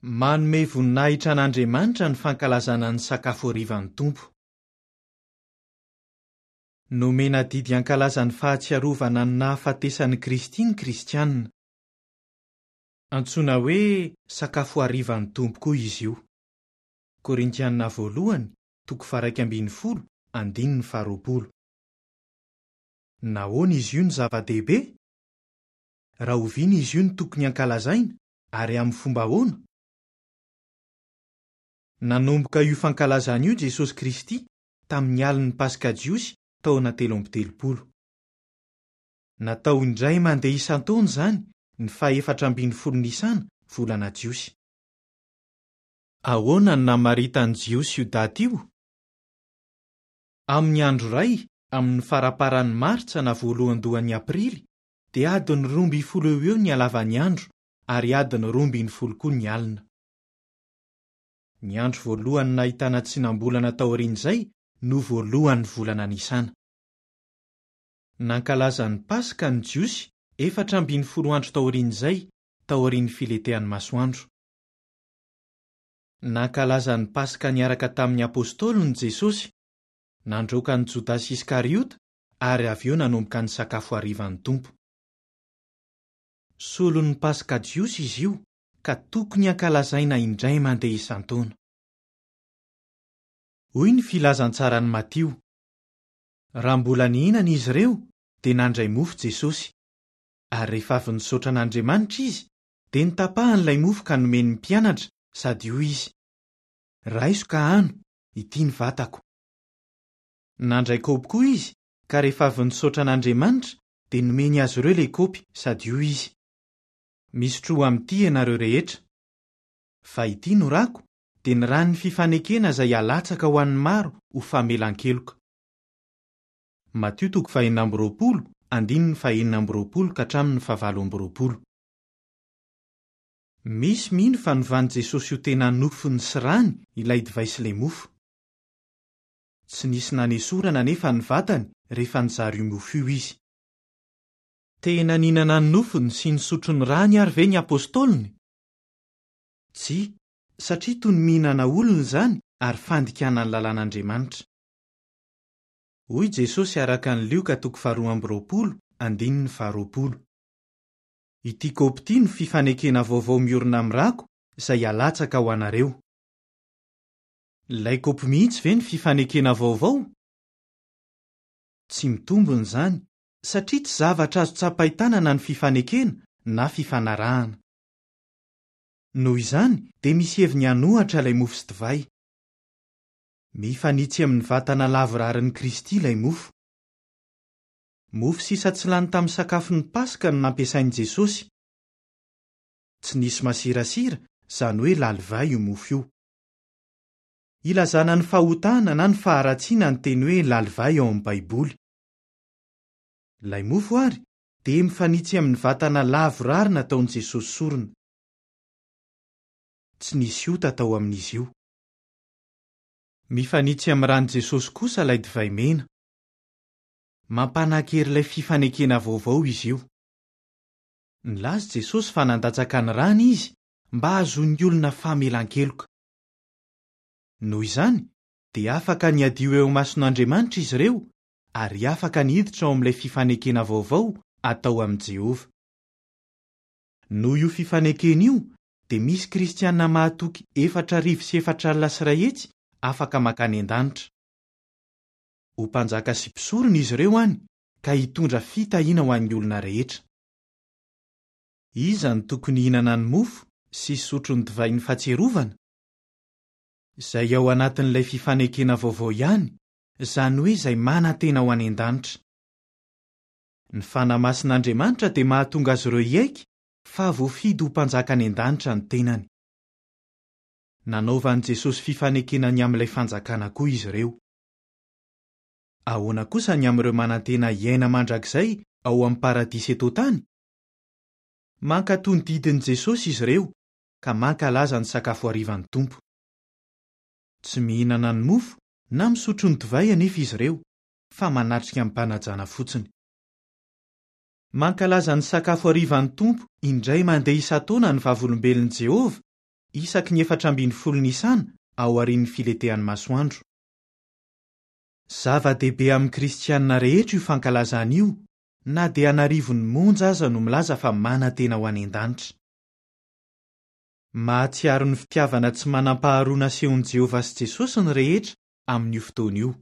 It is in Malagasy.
Manome voninahitra an'Andriamanitra ny fankalazana ny Sakafo Harivan'ny Tompo. Nomena didy hankalaza ny Fahatsiarovana ny nahafatesan'i Kristy ny Kristianina. Antsoina hoe Sakafo Harivan'ny Tompo koa izy io. Korintianina voalohany, toko faha-11, andininy faha-20. Nahoana izy io no zava-dehibe? Rahoviana izy io no tokony hankalazaina? Ary amin'ny fomba ahoana? Nanomboka io fankalazana io Jesosy Kristy tamin'ny alin'ny Paska Jiosy taona 33. Natao indray mandeha isan-taona izany, ny fahefatra ambin'ny folo Nisana, volana Jiosy. Ahoana no namaritan'ny Jiosy io daty io? Amin'ny andro iray, amin'ny faramparan'ny Martsa na voalohandohan'ny Aprily, dia adiny 12 eo ho eo ny halavan'ny andro ary adiny 12 koa ny alina. Ny andro voalohany nahitana tsinam-bolana taorian'izay no voalohan'ny volana Nisana. Nankalaza ny Paska ny Jiosy 14 andro taorian'izay, taorian'ny filentehan'ny masoandro. Nankalaza ny Paska niaraka tamin'ny apostoliny Jesosy, nandroaka an'i Jodasy Iskariota ary avy eo nanomboka ny Sakafo Harivan'ny Tompo. Solon'ny Paska jiosy izy io ka tokony hankalazaina indray mandeha isan-taona. Hoy ny Filazantsaran'i Matio, Raha mbola nihinana izy ireo, dia nandray mofo Jesosy. Ary rehefa avy nisaotra an'Andriamanitra izy, dia notapahany ilay mofo ka nomeny ny mpianatra, sady hoy izy, Raiso ka hano, ity ny vatako. Nandray kaopy koa izy, ka rehefa avy nisaotra an'Andriamanitra, dia nomeny azy ireo ilay kaopy, sady hoy izy, Misotroa amin'ity ianareo rehetra. Fa ity no rako, dia ny ran'ny fifanekena izay halatsaka ho an'ny maro ho famelan-keloka. Matio toko fahenina amby roapolo, andininy fahenina amby roapolo ka hatramin'ny fahavalo amby roapolo. Misy mino fa novan'i Jesosy ho tena nofony sy rany ilay divay sy ilay mofo. Tsy nisy nanesorana anefa ny vatany rehefa nizara io mofo io izy. Tena nihinana ny nofony sy nisotro ny rany àry ve ny apostoliny? Tsia, satria toy ny mihinana olona izany ary fandikana ny lalàn'Andriamanitra. Hoy Jesosy araka ny Lioka toko faharoa amby roapolo, andininy faharoapolo, Ity kaopy ity no fifanekena vaovao miorina amin'ny rako izay halatsaka ho anareo. Ilay kaopy mihitsy ve ny fifanekena vaovao? Tsy mitombina izany, satria tsy zavatra azo tsapain-tanana ny fifanekena na fifanarahana. Noho izany, dia misy heviny an'ohatra ilay mofo sy divay. Mifanitsy amin'ny vatana lavorarin'i Kristy ilay mofo. Mofo sisa tsy lany tamin'ny sakafon'ny Paska no nampiasain'i Jesosy. Tsy nisy masirasira, izany hoe lalivay, io mofo io. Ilazana ny fahotana na ny faharatsiana ny teny hoe lalivay ao amin'ny Baiboly. Ilay mofo àry dia mifanitsy amin'ny vatana lavorary nataon'i Jesosy sorona. Tsy nisy ota tao amin'izy io. Mifanitsy amin'ny ran'i Jesosy kosa ilay divay mena. Mampanan-kery ilay fifanekena vaovao izy io. Nilaza Jesosy fa nandatsaka ny rany izy mba hahazoan'ny olona famelan-keloka. Noho izany, dia afaka ny hadio eo imason'Andriamanitra izy ireo ary afaka ny hiditra ao amin'ilay fifanekena vaovao atao amin'i Jehovah. Noho io fifanekena io, dia misy Kristiana mahatoky 104 100 afaka mankany an-danitra. Ho mpanjaka sy mpisorona izy ireo any, ka hitondra fitahiana ho an'ny olona rehetra. Iza no tokony hihinana ny mofo sy hisotro ny divain'ny Fahatsiarovana? Izay ao anatin'ilay fifanekena vaovao ihany, izany hoe izay manantena ho any an-danitra. Ny fanahy masin'Andriamanitra dia mahatonga azy ireo hiaiky fa voafidy ho mpanjaka any an-danitra ny tenany. Nanaovan'i Jesosy fifanekena ny amin'ilay Fanjakana koa izy ireo. Ahoana kosa ny amin'ireo manantena hiaina mandrakizay ao amin'ny Paradisa eto an-tany? Mankatò ny didin'i Jesosy izy ireo ka mankalaza ny Sakafo Harivan'ny Tompo. Tsy mihinana ny mofo na misotro ny divay anefa izy ireo, fa manatrika amim-panajana fotsiny. Mankalaza ny Sakafo Harivan'ny Tompo indray mandeha isan-taona ny Vavolombelon'i Jehovah. isaky ny 14 Nisana aorian'ny filentehan'ny masoandro. Zava-dehibe amin'ny Kristianina rehetra io fankalazana io, na dia an'arivony monja aza no milaza fa manantena ho any an-danitra. Mahatsiaro ny fitiavana tsy manam-paharoa nasehon'i Jehovah sy Jesosy ny rehetra amin'io fotoana io.